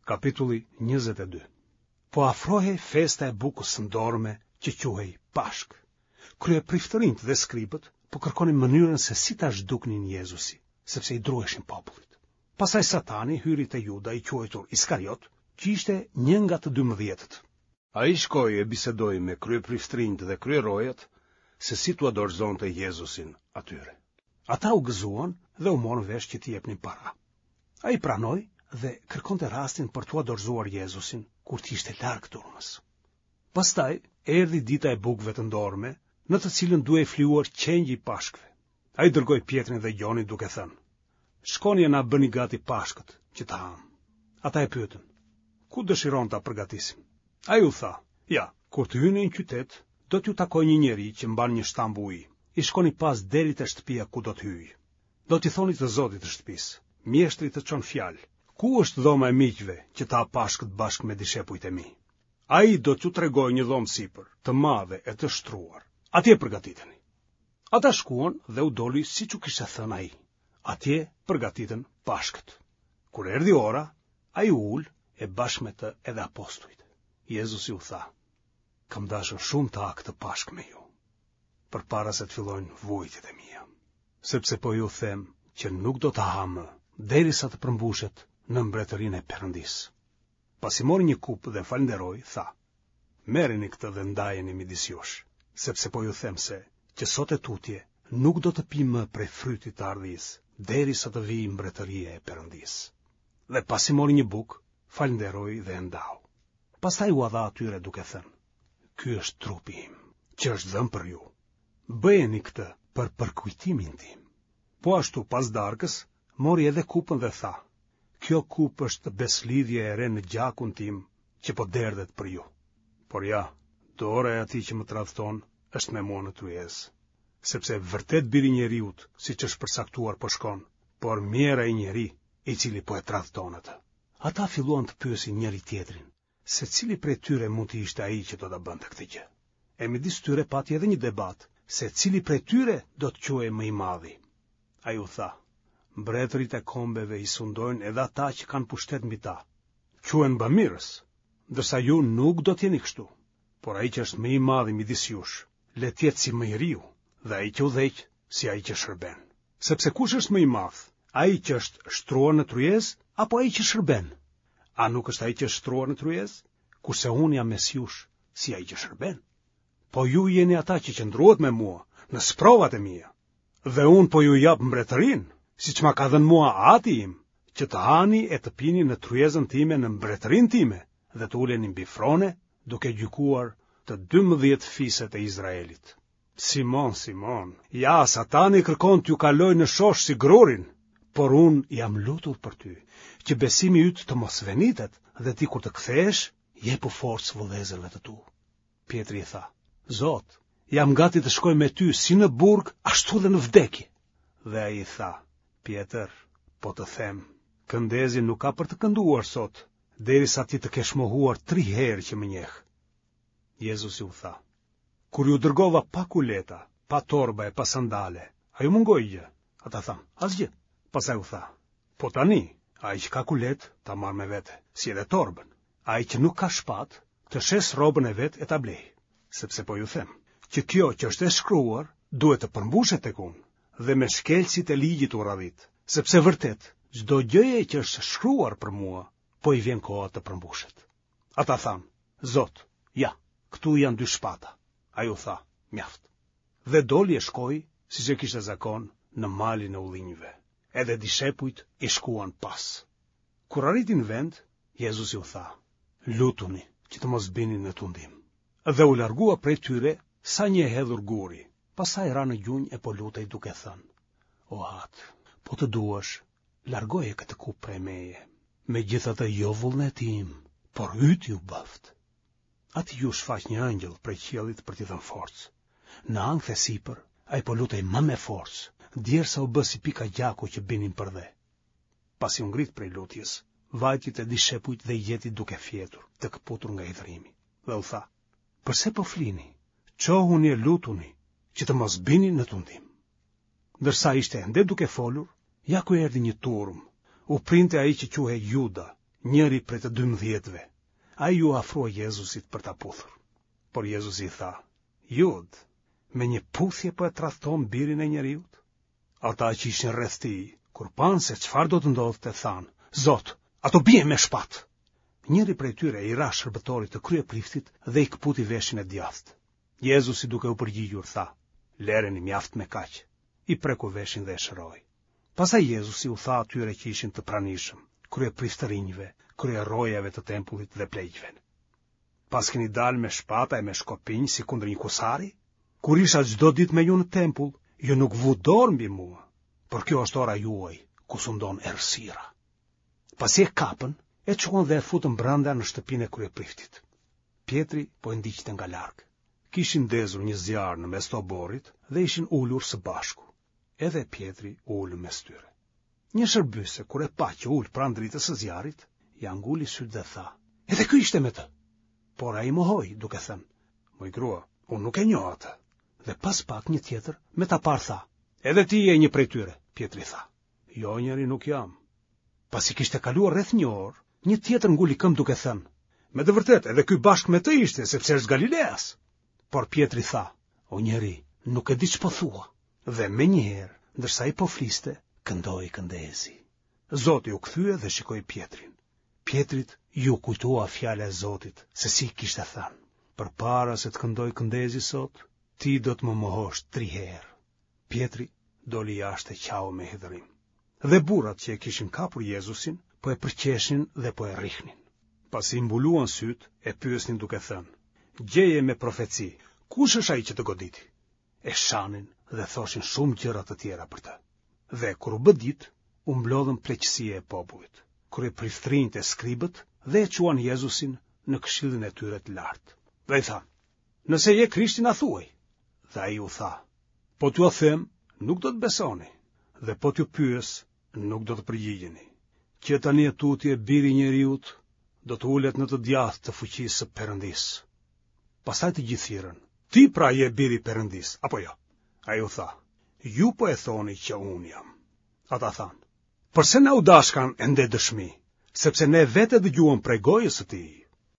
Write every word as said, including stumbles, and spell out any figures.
Kapitulli njëzet e dy. Po afrohej festa e bukës së ndorme që quhej Pashkë. Kryepriftërinjtë dhe skribët po kërkonin mënyrën se si ta zhduknin Jezusin, sepse i druheshin popullit. Pastaj Satani hyri te Juda i quajtur Iskariot, që ishte një nga të dymbëdhjetët. Ai shkoi e bisedoi me kryepriftërinjtë dhe kryerojat se si t'ua dorëzonte Jezusin atyre. Ata u gëzuan dhe u morën vesh që t'i jepnin para. Ai pranoi dhe kërkonte rastin për t'ua dorëzuar Jezusin kur të ishte larg turmës. Pastaj erdhi dita e bukëve të ndorme, në të cilën duhej flijuar qengji i Pashkëve. Ai dërgoi Pjetrin dhe Gjonin duke thënë: Shkoni e na bëni gati Pashkët që të hamë. Ata e pyetën: Ku dëshiron ta përgatisim? Ai u tha: Ja, kur të hyni në qytet, do t'ju takojë një njeri që mban një shtambë uji. I shkoni pas deri te shtëpia ku do të hyjë. Do t'i thoni të zotit të shtëpisë: Mjeshtri të çon fjalë, ku është dhoma e miqve që të ha Pashkët bashkë me dishepujt e mi? Ai do t'ju tregojë një dhomë sipër, të madhe e të shtruar. Atje përgatiteni. Ata shkuan dhe u doli siç u kishte thënë ai. Atje përgatitën Pashkët. Kur erdhi ora, ai u ul e bashkë me të edhe apostujt. Jezusi u tha: Kam dashur shumë të ha këtë Pashkë me ju, përpara se të fillojnë vuajtjet e mia, sepse po ju them që nuk do ta ha më, derisa të përmbushet në mbretërinë e Perëndisë. Pasi mori një kupë dhe falënderoi, tha: Merreni këtë dhe ndajeni midis jush, sepse po ju them se që sot e tutje nuk do të pi më prej frytit të ardhisë, derisa të vijë mbretëria e Perëndisë. Dhe pasi mori një bukë, falënderoi dhe e ndau. Pastaj ua dha atyre duke thënë: Ky është trupi im, që është dhënë për ju. Bëjeni këtë për përkujtimin tim. Po ashtu pas darkës, mori edhe kupën dhe tha: Kjo kupë është besëlidhje e re në gjakun tim, që po derdhet për ju. Por ja, dora e atij që më tradhton është me mua në tryezë. Sepse vërtet biri i njeriut, siç është përcaktuar, po shkon, por mjerë ai njeri i cili po e tradhton atë. Ata filluan të pyesin njëri tjetrin, se cili prej tyre mund të ishte ai që do ta bënte këtë gjë. E midis tyre pati edhe një debat, se cili prej tyre do të quhej më i madhi. Ai u tha: Mbretërit e kombeve i sundojnë edhe ata që kanë pushtet mbi ta. Quhen bamirës, ndërsa ju nuk do të jeni kështu. Por ai që është më i madhi midis jush, le të jetë si më i riu, dhe ai që udhëheq si ai që shërben. Sepse kush është më i madh, ai që është shtruar në tryezë apo ai që shërben? A nuk është ai që është shtruar në tryezë? Kurse unë jam mes jush si ai që shërben. Po ju jeni ata që qëndruat me mua në sprovat e mia. Dhe unë po ju jap mbretërinë, siç ma ka dhënë mua ati im, që të hani e të pini në tryezën time në mbretërinë time dhe të uleni mbi frone, duke gjykuar të dymbëdhjetë fiset e Izraelit. Simon, Simon, ja, Satani kërkon t'ju kalojë në shosh si grurin, por unë jam lutur për ty, që besimi yt të mos venitet dhe ti kur të kthehesh, jepu forcë vëllezërve të tu. Pjetri i tha: Zot, jam gati të shkoj me ty si në burg, ashtu dhe në vdekje. Dhe ai i tha: Pjetër, po të them, këndezi nuk ka për të kënduar sot, derisa ti të kesh mohuar tri herë që më njeh. Jezusi u tha: Kur ju dërgova pa kuleta, pa torba e pa sandale, a ju mungoi gjë? Ata thanë: Asgjë. Pastaj u tha: Po tani, ai që ka kulet, ta marrë me vete, si edhe torbën. Ai që nuk ka shpatë, të shes rrobën e vet e ta blej. Sepse po ju them, që kjo që është e shkruar, duhet të përmbushet tek unë, dhe me shkelësit e ligjit u radhit, sepse vërtet, çdo gjëje që është shkruar për mua, po i vjen koha të përmbushet. Ata thanë: Zot, ja, këtu janë dy shpata. Ai u tha: Mjaft. Dhe doli e shkoi, siç e kishte zakon, në malin e ullinjve. Edhe dishepujt i shkuan pas. Kur arriti në vend, Jezusi u tha: Lutuni që të mos bini në tundim. Dhe u largua prej tyre sa një e hedhur guri. Pastaj ra në gjunjë e po lutej duke thënë: O Atë, po të duash, largoje këtë kupë prej meje. Megjithatë jo vullneti im, por yti u bëft. Aty ju shfaq një ëngjëll prej qiellit për t'i dhënë forcë. Në ankth e sipër, ai po lutej më me forcë, djersa u bë si pika gjaku që binin për dhe. Pasi u ngrit prej lutjes, vajti te dishepujt dhe i gjeti duke fjetur, të këputur nga hidhrimi. Dhe u tha: Përse po flini? Çohuni e lutuni, që të mos bini në tundim. Ndërsa ishte ende duke folur, ja ku erdhi një turm. U printe ai që quhej Juda, njëri prej të dymbëdhjetëve. Ai iu afrua Jezusit për ta puthur. Por Jezusi i tha, Judë, me një puthje po e tradhton birin e njeriut? Ata që ishin rreth tij, kur panë se çfarë do të ndodhte, thanë, Zot, a t'u biem me shpatë? Njëri prej tyre i ra shërbëtorit të kryepriftit dhe i këputi veshin e djathtë. Jezusi duke u përgjigjur tha, Lereni mjaft me kaq. I preku veshin dhe e shëroi. Pastaj Jezusi u tha atyre që ishin të pranishëm, kryepriftërinjve, kryerojave të tempullit dhe pleqve. Paskeni dalë me shpata e me shkopinj si kundër një kusari? Kur isha çdo ditë me ju në tempull, ju nuk vutë dorë mbi mua, por kjo është ora juaj, ku sundon errësira. Pasi e kapën, e çuan dhe e futën brenda në shtëpinë e kryepriftit. Pjetri po e ndiqte nga larg. Kishin ndezur një zjarr në mes të oborrit dhe ishin ulur së bashku. Edhe Pjetri u ul mes tyre. Një shërbyese kur e pa që u ul pranë dritës së zjarrit, ia nguli sytë dhe tha: "Edhe ky ishte me të." Por ai mohoi, duke thënë: "Moj grua, unë nuk e njoh atë." Dhe pas pak një tjetër me ta parë tha: "Edhe ti je një prej tyre." Pjetri tha: "Jo, njeri nuk jam." Pasi kishte kaluar rreth një orë, një tjetër nguli këmbë duke thënë: "Me të vërtetë, edhe ky bashkë me të ishte, sepse është Galileas." Por Pjetri tha: "O njeri, nuk e di ç'po thua." Dhe menjëherë, ndërsa ai po fliste, këndoi këndezi. Zoti u kthye dhe shikoi Pjetrin. Pjetrit iu kujtua fjala e Zotit, se si kishte thënë: Përpara se të këndojë këndezi sot, ti do të më mohosh tri herë. Pjetri doli jashtë e qau me hidhërim. Dhe burrat që e kishin kapur Jezusin, po e përqeshnin dhe po e rrihnin. Pasi i mbuluan sytë, e pyesnin duke thënë: Gjeje me profeci, kush është ai që të goditi? E shanin dhe thoshin shumë gjëra të tjera për të. Dhe kur u bë ditë, u mblodhën pleqësia e popullit, kryepriftërinjtë e skribët dhe e çuan Jezusin në këshillin e tyre të lartë. Dhe i thanë, nëse je Krishti na thuaj. Dhe ai u tha, po t'jua them, nuk do të besoni, dhe po t'ju pyes, nuk do të përgjigjeni. Që tani e tutje biri i njeriut do të ulet në të djathtë të fuqisë së Perëndisë. Pastaj të gjithë thirrën, ti pra je biri i Perëndisë, apo jo? Ai u tha, ju po e thoni që unë jam. Ata thanë, përse na u dashkan ende dëshmi, sepse ne vetë e dëgjuam prej gojës së tij.